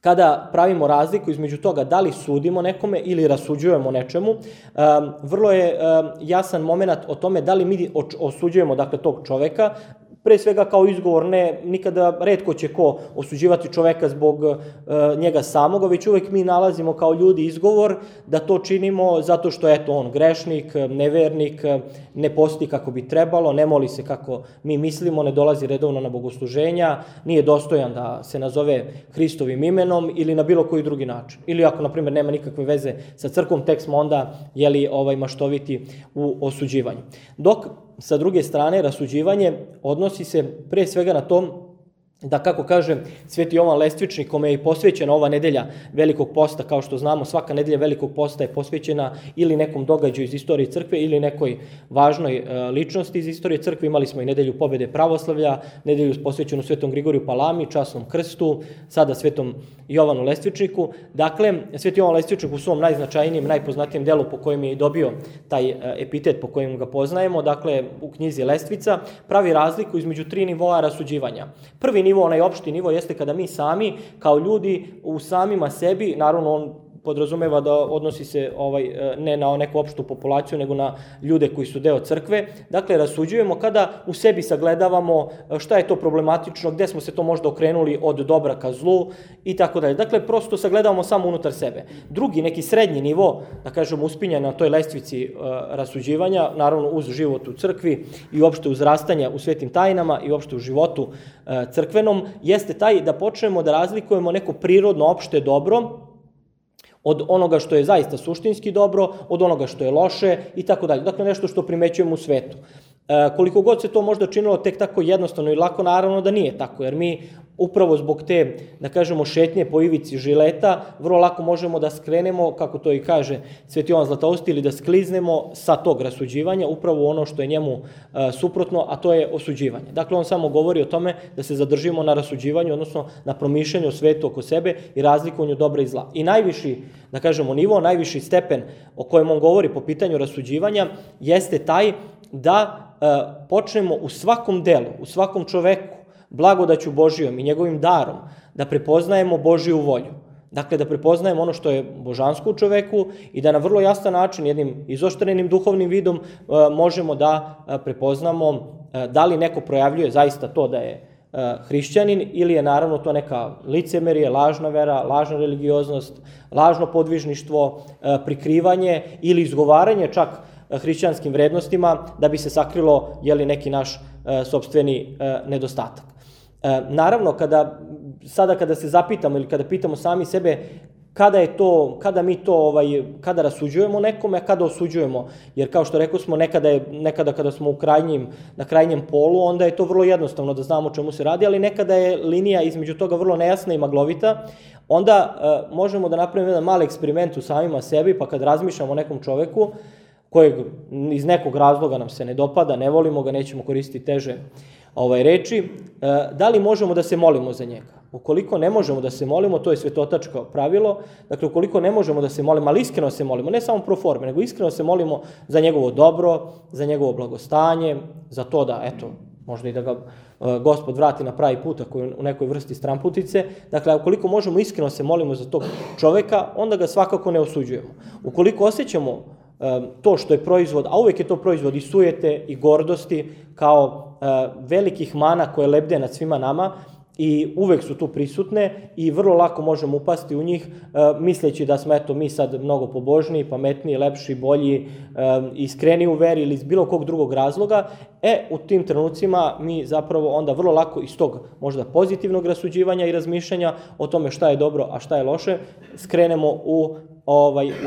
kada pravimo razliku između toga da li sudimo nekome ili rasuđujemo nečemu, vrlo je jasan moment o tome da li mi osuđujemo, dakle, tog čoveka, pre svega kao izgovor, nikada retko će ko osuđivati čoveka zbog njega samoga, već uvek mi nalazimo kao ljudi izgovor da to činimo zato što je on grešnik, nevernik, ne posti kako bi trebalo, ne moli se kako mi mislimo, ne dolazi redovno na bogosluženja, nije dostojan da se nazove Hristovim imenom ili na bilo koji drugi način. Ili ako, na primjer, nema nikakve veze sa crkvom, tek smo onda maštoviti u osuđivanju. Dok sa druge strane, rasuđivanje odnosi se pre svega na to da, kako kaže Sveti Jovan Lestvičnik, kome je i posvećena ova nedelja Velikog posta, kao što znamo, svaka nedelja Velikog posta je posvećena ili nekom događaju iz istorije crkve ili nekoj važnoj ličnosti iz istorije crkve. Imali smo i nedelju pobede pravoslavlja, nedelju posvećenu Svetom Grigoriju Palami, časnom krstu, sada Svetom Jovanu Lestvičniku. Dakle, Sveti Jovan Lestvičnik u svom najznačajnijem, najpoznatijem delu po kojem je i dobio taj epitet po kojem ga poznajemo, dakle u knjizi Lestvica, pravi razliku između 3 nivoa rasuđivanja. Prvi nivo, onaj opšti nivo, jeste kada mi sami, kao ljudi, u samima sebi, naravno on podrazumeva da odnosi se ne na neku opštu populaciju, nego na ljude koji su deo crkve. Dakle, rasuđujemo kada u sebi sagledavamo šta je to problematično, gde smo se to možda okrenuli od dobra ka zlu i tako dalje. Dakle, prosto sagledavamo samo unutar sebe. Drugi, neki srednji nivo, da kažemo, uspinjanja na toj lestvici rasuđivanja, naravno uz život u crkvi i uopšte uz rastanje u svetim tajnama i uopšte u životu crkvenom, jeste taj da počnemo da razlikujemo neko prirodno opšte dobro od onoga što je zaista suštinski dobro, od onoga što je loše i tako dalje. Dakle, nešto što primećujemo u svetu. Koliko god se to možda činilo tek tako jednostavno i lako, naravno da nije tako, jer mi upravo zbog te, da kažemo, šetnje po ivici žileta, vrlo lako možemo da skrenemo, kako to i kaže Sveti Jovan Zlatousti, ili da skliznemo sa tog rasuđivanja, upravo ono što je njemu suprotno, a to je osuđivanje. Dakle, on samo govori o tome da se zadržimo na rasuđivanju, odnosno na promišljanju svetu oko sebe i razlikovanju dobra i zla. I najviši, da kažemo, nivo, najviši stepen o kojem on govori po pitanju rasuđivanja jeste taj da počnemo u svakom delu, u svakom čoveku, blagodaću Božijom i njegovim darom, da prepoznajemo Božiju volju. Dakle, da prepoznajemo ono što je božansko u čoveku i da na vrlo jasan način, jednim izoštrenim duhovnim vidom, možemo da prepoznamo da li neko projavljuje zaista to da je hrišćanin ili je naravno to neka licemerije, lažna vera, lažna religioznost, lažno podvižništvo, prikrivanje ili izgovaranje čak hrišćanskim vrednostima da bi se sakrilo neki naš sopstveni nedostatak. Naravno, kada se zapitamo ili kada pitamo sami sebe kada rasuđujemo nekome, a kada osuđujemo, jer kao što rekao smo, nekada kada smo na krajnjem polu, onda je to vrlo jednostavno da znamo o čemu se radi, ali nekada je linija između toga vrlo nejasna i maglovita, onda možemo da napravimo jedan mali eksperiment u samima sebi, pa kad razmišljamo o nekom čoveku, kojeg iz nekog razloga nam se ne dopada, ne volimo ga, nećemo koristiti teže reči, da li možemo da se molimo za njega? Ukoliko ne možemo da se molimo, to je svetotačko pravilo, dakle ukoliko ne možemo da se molimo, ali iskreno se molimo, ne samo pro forme, nego iskreno se molimo za njegovo dobro, za njegovo blagostanje, za to da, možda i da ga Gospod vrati na pravi put ako je u nekoj vrsti stramputice. Dakle, ukoliko možemo iskreno se molimo za tog čoveka, onda ga svakako ne osuđujemo. Ukoliko osjećamo to što je proizvod, a uvek je to proizvod i sujete i gordosti, kao velikih mana koje lebde nad svima nama i uvek su tu prisutne i vrlo lako možemo upasti u njih misleći da smo mi sad mnogo pobožniji, pametniji, lepši, bolji, iskreni u veri ili iz bilo kog drugog razloga, u tim trenucima mi zapravo onda vrlo lako iz tog možda pozitivnog rasuđivanja i razmišljanja o tome šta je dobro, a šta je loše, skrenemo u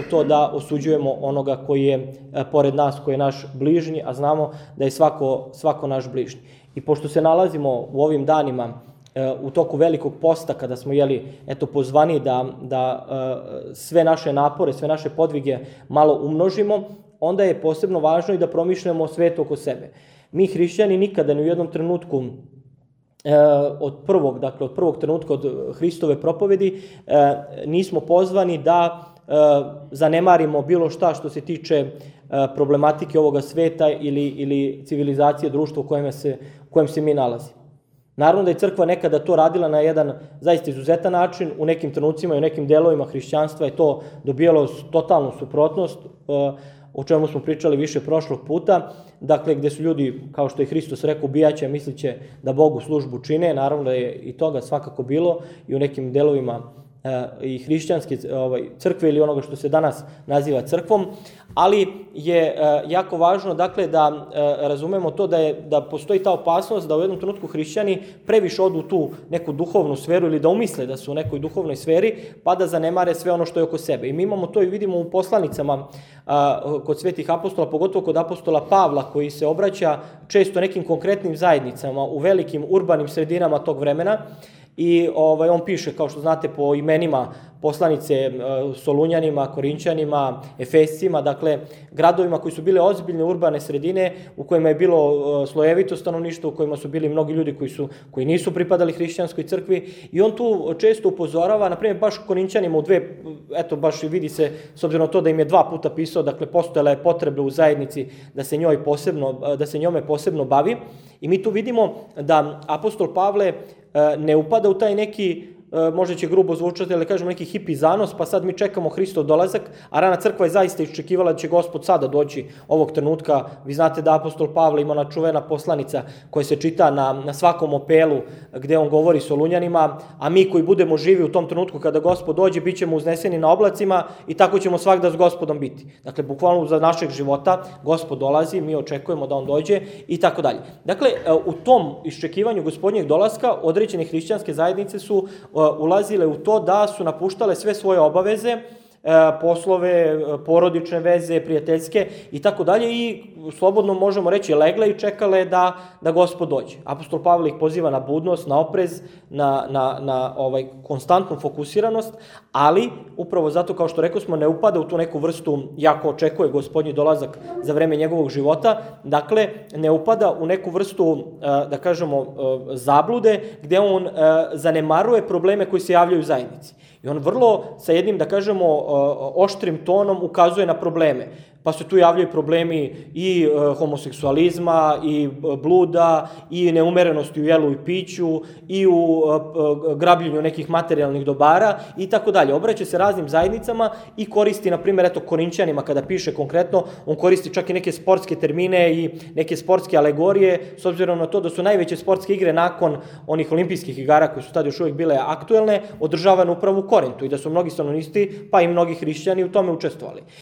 to da osuđujemo onoga koji je pored nas, koji je naš bližnji, a znamo da je svako naš bližnji. I pošto se nalazimo u ovim danima u toku Velikog posta, kada smo pozvani da sve naše napore, sve naše podvige malo umnožimo, onda je posebno važno i da promišljamo o svetu oko sebe. Mi hrišćani nikada ni u jednom trenutku od prvog trenutka od Hristove propovedi nismo pozvani da zanemarimo bilo šta što se tiče problematike ovoga sveta ili civilizacije društva u kojem se mi nalazimo. Naravno da je crkva nekada to radila na jedan zaista izuzetan način, u nekim trenucima i u nekim delovima hrišćanstva je to dobijalo totalnu suprotnost, o čemu smo pričali više prošlog puta, dakle gde su ljudi, kao što je Hristos rekao, ubijaće, misliće da Bogu službu čine, naravno da je i toga svakako bilo i u nekim delovima i hrišćanske crkve ili onoga što se danas naziva crkvom, ali je jako važno dakle da razumemo to da postoji ta opasnost da u jednom trenutku hrišćani previše odu u tu neku duhovnu sferu ili da umisle da su u nekoj duhovnoj sferi pa da zanemare sve ono što je oko sebe. I mi imamo to i vidimo u poslanicama kod svetih apostola, pogotovo kod apostola Pavla koji se obraća često nekim konkretnim zajednicama u velikim urbanim sredinama tog vremena. I on piše, kao što znate, po imenima poslanice Solunjanima, Korinćanima, Efescima, dakle, gradovima koji su bile ozbiljne urbane sredine, u kojima je bilo slojevito stanovništvo, u kojima su bili mnogi ljudi koji nisu pripadali hrišćanskoj crkvi. I on tu često upozorava, na primjer, baš Korinćanima baš vidi se, s obzirom na to da im je 2 puta pisao, dakle, postojala je potreba u zajednici da se njome posebno bavi. I mi tu vidimo da apostol Pavle ne upada u taj neki, možda će grubo zvučati, ali kažemo neki hipi zanos, pa sad mi čekamo Hristov dolazak, a rana crkva je zaista iščekivala da će Gospod sada doći ovog trenutka. Vi znate da apostol Pavle ima ona čuvena poslanica koja se čita na svakom opelu gde on govori Solunjanima, a mi koji budemo živi u tom trenutku kada Gospod dođe, bit ćemo uzneseni na oblacima i tako ćemo svakda s Gospodom biti. Dakle, bukvalno za našeg života Gospod dolazi, mi očekujemo da on dođe i tako dalje. Dakle, u tom iščekivanju Gospodnjeg dolaska određene hrišćanske zajednice su ulazile u to da su napuštale sve svoje obaveze, poslove, porodične veze, prijateljske i tako dalje i slobodno možemo reći legle i čekale da Gospod dođe. Apostol Pavle ih poziva na budnost, na oprez, na konstantnu fokusiranost, ali upravo zato, kao što rekao smo, ne upada u tu neku vrstu, jako očekuje Gospodnji dolazak za vreme njegovog života, dakle ne upada u neku vrstu, da kažemo, zablude, gde on zanemaruje probleme koji se javljaju u zajednici. I on vrlo sa jednim, da kažemo, oštrim tonom ukazuje na probleme. Pa se tu javljaju problemi i homoseksualizma, i bluda, i neumerenosti u jelu i piću, i u grabljenju nekih materijalnih dobara i tako dalje. Obraća se raznim zajednicama i koristi, na primjer, Korinćanima kada piše konkretno, on koristi čak i neke sportske termine i neke sportske alegorije, s obzirom na to da su najveće sportske igre nakon onih olimpijskih igara koje su tad još uvijek bile aktuelne, održavane upravo u Korintu i da su mnogi stanovnici, pa i mnogi hrišćani u tome učestvovali.